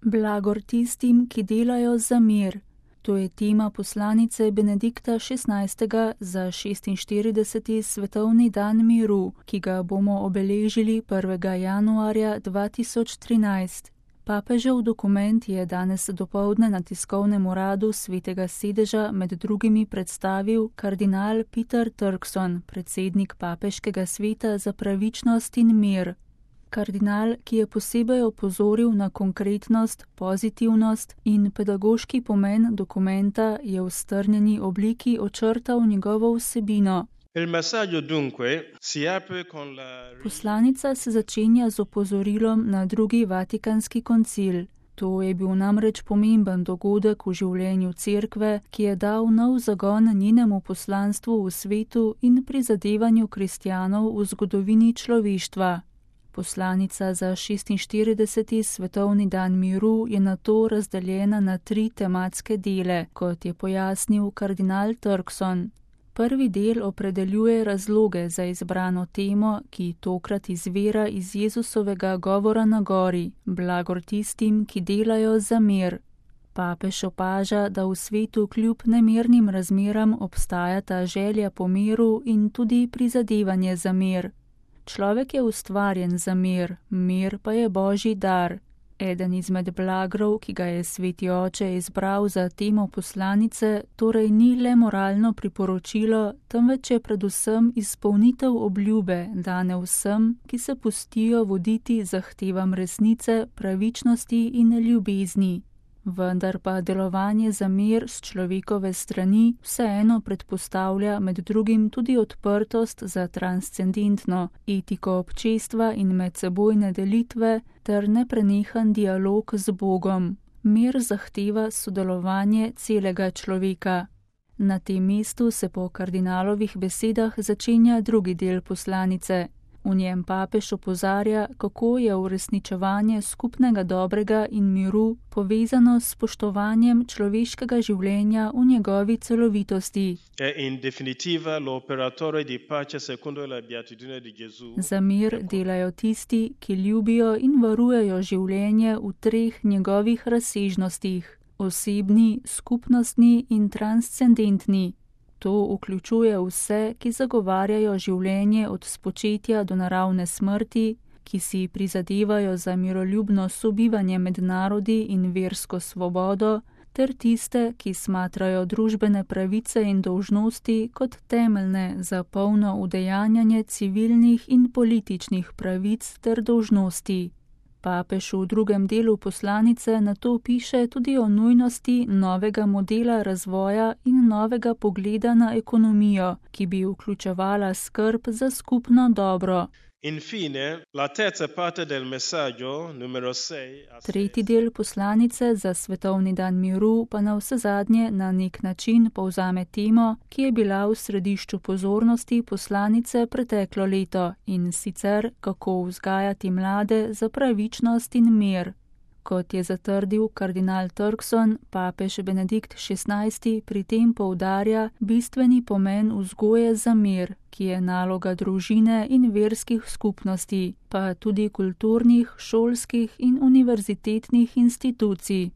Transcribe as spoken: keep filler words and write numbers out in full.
Blagor tistim, ki delajo za mir. To je tema poslanice Benedikta šestnajstega za šestinštirideseti svetovni dan miru, ki ga bomo obeležili prvega januarja dva tisoč trinajst. Papežev dokument je danes dopoldne na tiskovnem uradu Svetega sedeža med drugimi predstavil kardinal Peter Turkson, predsednik Papeškega sveta za pravičnost in mir. Kardinal, ki je posebej opozoril na konkretnost, pozitivnost in pedagoški pomen dokumenta, je v strnjeni obliki očrtal njegovo vsebino. Poslanica se začenja z opozorilom na drugi Vatikanski koncil. To je bil namreč pomemben dogodek v življenju cerkve, ki je dal nov zagon njenemu poslanstvu v svetu in prizadevanju kristjanov v zgodovini človeštva. Poslanica za šestinštirideseti svetovni dan miru je nato razdeljena na tri tematske dele, kot je pojasnil kardinal Turkson. Prvi del opredeljuje razloge za izbrano temo, ki tokrat izvira iz Jezusovega govora na gori, blagor tistim, ki delajo za mir. Papež opaža, da v svetu kljub nemirnim razmeram obstajata želja po miru in tudi prizadevanje za mir. Človek je ustvarjen za mir, mir pa je Božji dar. Eden izmed blagrov, ki ga je Sveti Oče izbral za temo poslanice, torej ni le moralno priporočilo, temveč je predvsem izpolnitev obljube, dane vsem, ki se pustijo voditi zahtevam resnice, pravičnosti in ljubezni. Vendar pa delovanje za mir s človekove strani vseeno predpostavlja med drugim tudi odprtost za transcendentno etiko občestva in medsebojne delitve ter neprenehan dialog z Bogom. Mir zahteva sodelovanje celega človeka. Na tem mestu se po kardinalovih besedah začenja drugi del poslanice. V njem papež opozarja, kako je uresničevanje skupnega dobrega in miru povezano s spoštovanjem človeškega življenja v njegovi celovitosti. Za mir delajo tisti, ki ljubijo in varujejo življenje v treh njegovih razsežnostih: osebni, skupnostni in transcendentni. To vključuje vse, ki zagovarjajo življenje od spočetja do naravne smrti, ki si prizadevajo za miroljubno sobivanje med narodi in versko svobodo, ter tiste, ki smatrajo družbene pravice in dolžnosti kot temeljne za polno udejanjanje civilnih in političnih pravic ter dolžnosti. Papež v drugem delu poslanice nato piše tudi o nujnosti novega modela razvoja in novega pogleda na ekonomijo, ki bi vključevala skrb za skupno dobro. Infine, la terza parte del messaggio, numero sei, Tretji del poslanice za svetovni dan miru pa na vse zadnje na nek način povzame temo, ki je bila v središču pozornosti poslanice preteklo leto, in sicer kako vzgajati mlade za pravičnost in mir. Kot je zatrdil kardinal Turkson, papež Benedikt šestnajsti pri tem poudarja bistveni pomen vzgoje za mir, ki je naloga družine in verskih skupnosti, pa tudi kulturnih, šolskih in univerzitetnih institucij.